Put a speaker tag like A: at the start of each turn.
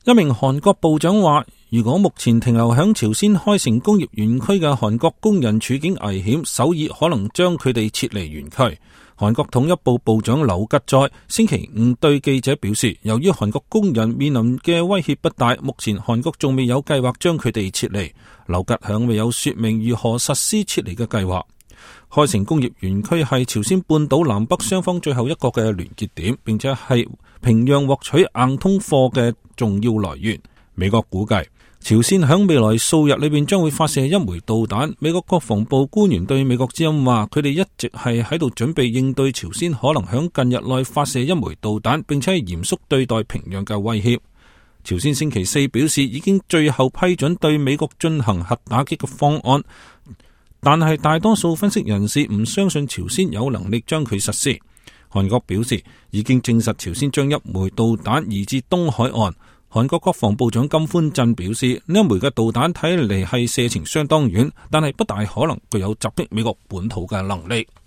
A: 一名韓國部長話，如果目前停留響朝鮮開城工業園區嘅韓國工人處境危險，首爾可能將佢哋撤離園區。韓國統一部部長劉吉在星期五對記者表示，由於韓國工人面臨嘅威脅不大，目前韓國仲未有計劃將佢哋撤離。劉吉響未有說明如何實施撤離嘅計劃。開城工業園區係朝鮮半島南北雙方最後一個嘅聯結點，並且係平壤獲取硬通貨嘅重要來源。美國估計朝鮮響未來數日裏邊將會發射一枚導彈。美國國防部官員對美國之音話，佢哋一直係喺度準備應對朝鮮可能響近日內發射一枚導彈，並且係嚴肅對待平壤嘅威脅。朝鮮星期四表示已經最後批准對美國進行核打擊嘅方案，但係大多數分析人士唔相信朝鮮有能力將佢實施。韓國表示已經證實朝鮮將一枚導彈移至東海岸。韓國國防部長金寬鎮表示，呢一枚嘅導彈睇嚟係射程相當遠，但係不大可能具有襲擊美國本土嘅能力。